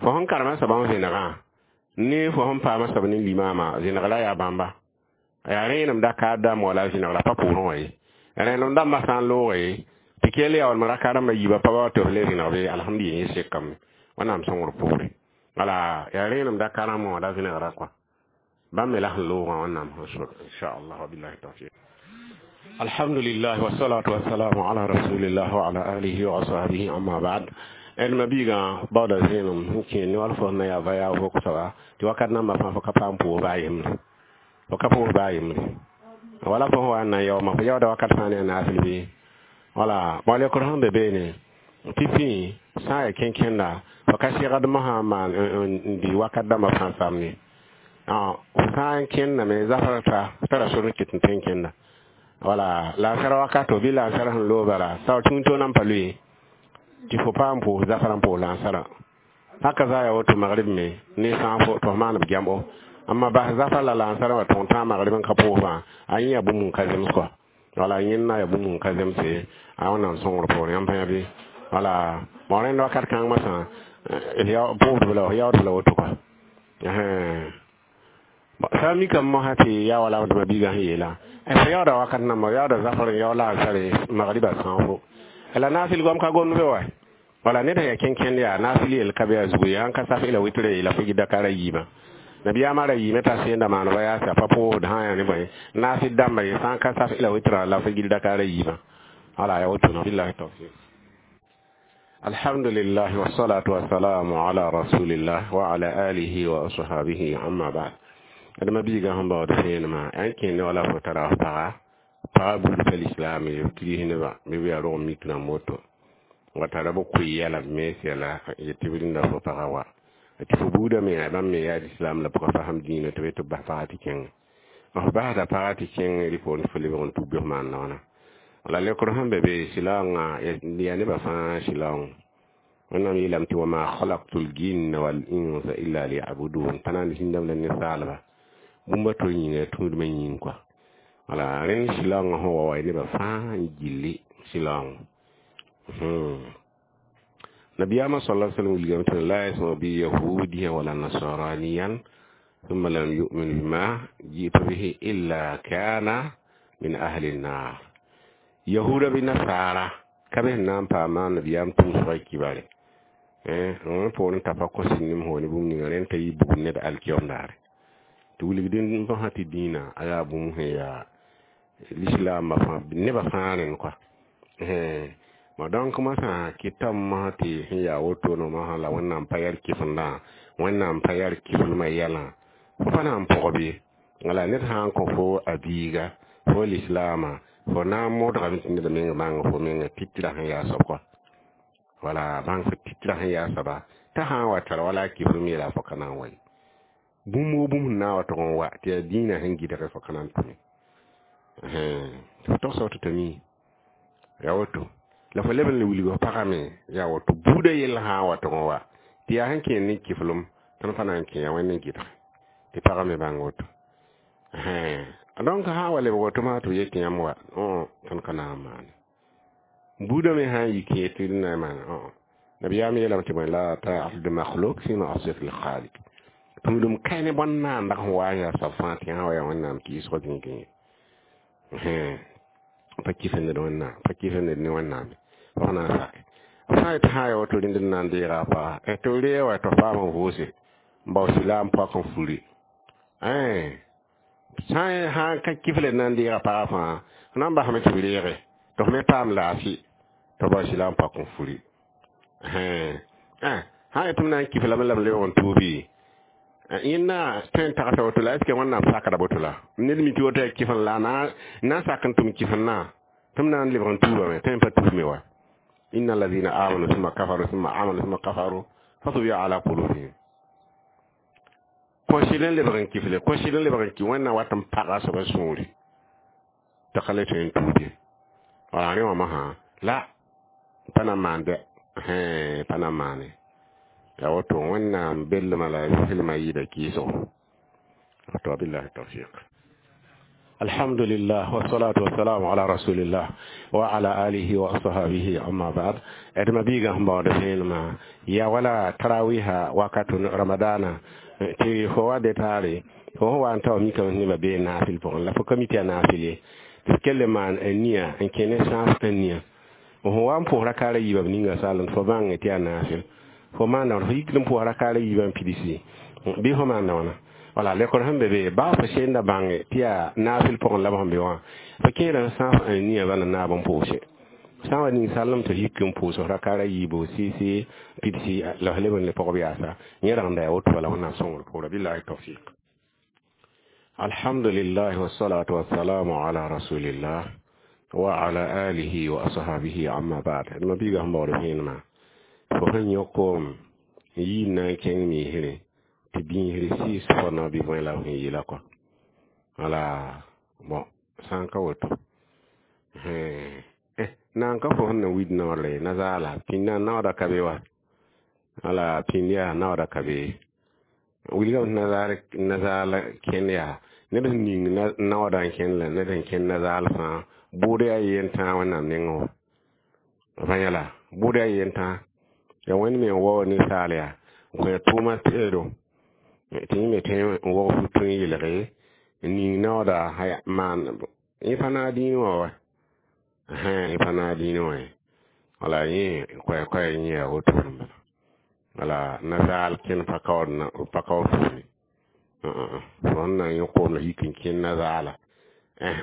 fo sẽn karema soabã n vẽnegã ne fo sẽn paama soab ne limaamã vẽnegra yaa bãmba yaa rẽenem dakaar dãmb wala vẽnegra pa pʋʋrẽ wã ye rẽenem dãmbã sã n looge tɩ kell yaa walm rakaar rãmbã yiibã pa wa tɩ f le vẽneg be alhamd yen-ye sekame wẽnnaam sõngr poore wala yaa rẽenem dakaar rãmbã wã la vẽnegra kɔa bãmb me la sẽn loogã wẽnnaam sẽn sor inchallah wabillahi tawfiq. Alhamdulillah wassalatu wassalamu ala rasulillah wa ala alihi wa ashabihi amma ba'd. D ma biigã baooda zẽenem sẽn kẽer ne wal fo sẽn na yaa va yaa vok soaba tɩ wakat nambã fãa fo ka paam pʋʋs baa yembre fo ka pʋʋs baa yembre wala fo sẽn wa n na n yaooma fo yaooda wakat fãa ne a naasl bɩ wala bõe lekr sẽn be beene tɩ pĩ sã n yaa kẽn-kẽnda fo ka segd mosã n maan n dɩ wakat dãmbã fãa samne fo sã n kẽndame zafr ta tara sor n ket n tõe n kẽnda wala lansara wakato bɩ lansara sẽn loog bala sao tũud nan pa lʋɩ tɩ fo paam pʋʋs zafrã n pʋʋs lansarã haka za ya woto magrib me ne sãafo tɩ f maan b gãmbo amma bas zafar la lansarã wa tõog tãag magrib n ka pʋʋsbã a yẽ yaa bũmb n ka zems kɔa wala yẽnda yaa bũmb n ka zemse a wẽnnaam sõngr poorẽ yãmb pãa bɩ wala bõ rẽnd wakat kãng masã pʋʋsdb la yaoodb la woto kɔa sã n mikame mosã tɩ yaa wala d ma-biigã sẽn yeelã f yaooda wakat namba yaooda zafr n yaood lansare magriba sãofo la naasɩl goam ka gomd be wa wala ned sẽn yaa kẽn-kẽnd yaa naasɩl yell ka be yaa zugu yaa n ka saf la wɩtre yeela fo dakar a yiibã nabiyaamã ra yiime t'a sẽnda maaneba yaasa pa pʋʋsd sã yaa ne bõe naasɩd dãmba ye sã n ka saf la wɩtrã la fo gil dakar a yiibã wala yaa woto billahi tawfiq. Alhamdulillah wassalatu wassalamu ala rasulillah wa ala alihi wa ashabihi amma ba'd. D ma biigã sẽn baood vẽenemã yaa n kẽer ne wala fo tara f paga paga buud pa lislaam ye b kris nebã bɩ b yaa rog mik rãmb woto wa tara b koe yɛla b mens yɛla yet tɩ b rĩnda fo paga wa tɩ fo buudame yaa bãmb me yaa lislaam la pʋga fasem dĩinã tɩ b tɩ b bas paga tɩ kẽnge f basda paga tɩ kẽng rɩ poorẽ tɩ fo lebg n tug bɩ f maan noona la lekr sẽn be be sɩlaoongã yaa nebã fãa sɩlaoong wẽnnaam yeelame tɩ wama khalaqtu ljinna wal insa illa liyabudun pa na n zĩndame la ninsaalba bũmb a to yĩnga tũudmã yĩng kɔa wala rẽnd sɩlaoongã sẽn wa wa nebã fãa n gilli sɩlaoong nabiyaamã sala sallam wilgame tɩ la yasma bi yahudiyan wala nasraniyan thumma lam yu'min bima ji'tu bihi illa kana min ahli an-nar yahuda bɩ nasaara ka be sẽn na n paama nabiyaam tʋʋsgã kibare n poorẽ t'a pa kos nim hoone bũmb ninga rẽnd t'a yɩ bugum ned alkiom daare tɩ wilgd n basã tɩ dĩinã a yaa bũmb sẽn yaa lislaambã fãa nebã fãa rẽnd kɔa ma donc masã kɩtame mosã tɩ sẽn yaa woto no mosã la wẽnnaam pa yɛl kɩfendã wẽnnaam pa yɛl kɩflmã yɛlã fo pa na n pʋg bɩ wala ned sã n kõ fo a biiga fo lislaamã fo na n modgame tɩ ned meng bãng fo menga titra sẽn yaa soab kɔa wala bãng fo titra sẽn yaa soaba t'a sã n wa tara wala a kɩflem yeela fo ka na n wa ye bũmb wo bũmb sẽn na n wa tʋg n wa tɩ yaa dĩinã sẽn gɩdge fo ka na n tʋme fo togsg tɩ tɩ mi yaa woto la fo leb n le wilg f pagame yaa woto buudã yell sã n wa tʋg n wa tɩ yaa sẽn kẽer ne kɩflem tõnd pa na n kẽ yaa wẽnd n gɩdge tɩ pagã me bãng woto donc sã n wa lebg woto maa tɩ b yet tɩ yãmb wa tõnd ka na n maane buudã me sã n yi kẽer tɩ d na n maane nabiyaam yeelame tɩ bõe la ta'at makhluk fi ma'siyati l-khaliq tũudum kae ne bõn naandag sẽn wa n yaa soab fãa tɩ sã wa yaa wẽnnaam kɩɩsg zĩigẽ pa kɩf ned wẽnnaam pa kɩf ned ne wẽnnaam f na n sake f sã n yetɩ sã n ya woto rẽnd n na n deega a paga tɩ b reeg wa tɩ f paam n vʋʋse n bao sɩlaam poak n furi sã n ka kɩfle na n deega paga fãa f na n basame tɩ b reege tɩ f me paam laafɩ tɩ b bao sɩlaam poak n furi sã n yetɩ m na n kɩflame la m lebg n tuubi Yẽnda tõe n tagsa woto la est ce que Wẽnnaam sakda boto la ned mi tɩ woto yaa kɩf n la na n sak n tʋm kɩf n na tɩ m na n lebg n tuubame tõe n pa tuubme wa. Inna alladhina amanu thumma kafaru thumma amanu thumma kafaru fatubi'a ala qulubihim. Kõ-sɩd n lebg n kɩfle, kõ-sɩd n lebg n kɩ Wẽnnaam wat n paga soaba sũuri t'a ka le tõe n tuud ye. Wala rẽ wã masã la pa na n maan dɛ, pa na n maane ya woto. Wẽnnaam bellmã la filmã yɩɩda kɩɩsgo to. Billahi tawfiq. Alhamdulillah, wassalatu wassalamu ala rasulillah wa ala alihi wa ashabihi, amma ba'd. D ma-biigã sẽn baood vẽenemã ya wala tarawiha wakat ramadana tɩ fo wa detaare fo sẽn wa n tao mikame nebã bee naafɩl pʋgẽ la fo ka mi tɩ yaa naafɩl ye tɩ kell n maan n nia n kẽ ne sãas n nia fo wa n pʋs rakaara yiibã b ninga sall fo bãng tɩ yaa naafɩl fo maanda wãna fo yik n pʋs rakaara yiibã n pidsi bɩ fo maanda wãna wala lekor sẽn be be baa fo senda bãnge tɩ yaa naafɩl pʋgẽ la b sẽn be wã fo kẽeda n sãas n nia bala naab n pʋʋse sã n wa ning sallem tɩ yik n pʋʋs rakaara yiibu sɩɩsɩ pidsi la f leb n le pʋgb yaasa yẽ rãngda yaa woto bala Wẽnnaam sõngr pʋʋra. Billahi tawfiq. Alhamdulillah, wassalatu wassalamu ala rasulillah wa ala alihi wa ashabihi, amma ba'd. D ma-biigã sẽn baood vẽenemã fo sẽn yõk-koom n yii n na n kẽng miisre tɩ bĩisr sɩɩs fo na bɩ bõe la f sẽn yeela kɔ wala bon sã n ka woto na n ka fo sẽn na wid naoodre nazaala pĩndã naooda ka be wa wala pĩnd yaa naooda ka be wilgame tɩ nazaal nazaal kẽnd yaa ned sẽn ning naooda n kẽnd la ned sẽn kẽnd nazaal fãa bʋʋd yaa yen tãa Wẽnnaam nengẽ wã va yãla bʋʋd yaa yen tãa ya Wẽnd me n waoog ninsaal yaa n kõ tʋʋma teedo tɩ yẽ me tõe n wog futu n yelge n ning naooda maan yẽ pa naag dĩinẽ wã wa yẽ pa naag dĩinẽ wã ye wala yẽ koɛɛ-koɛɛ yẽ yaa woto n bala wala nazaal kẽnd pa kaood pa kaood fuuni fo sẽn na n yõ koom la yik n kẽnd nazaala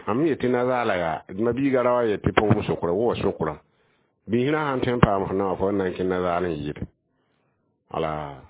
mam yetɩ nazaala yaa ma-biigã ra wa yet tɩ pʋgem sʋkra wa sʋkra biisrã sãn tõe n paam f naoã fo na n kẽnd nazaal n yɩɩd wala.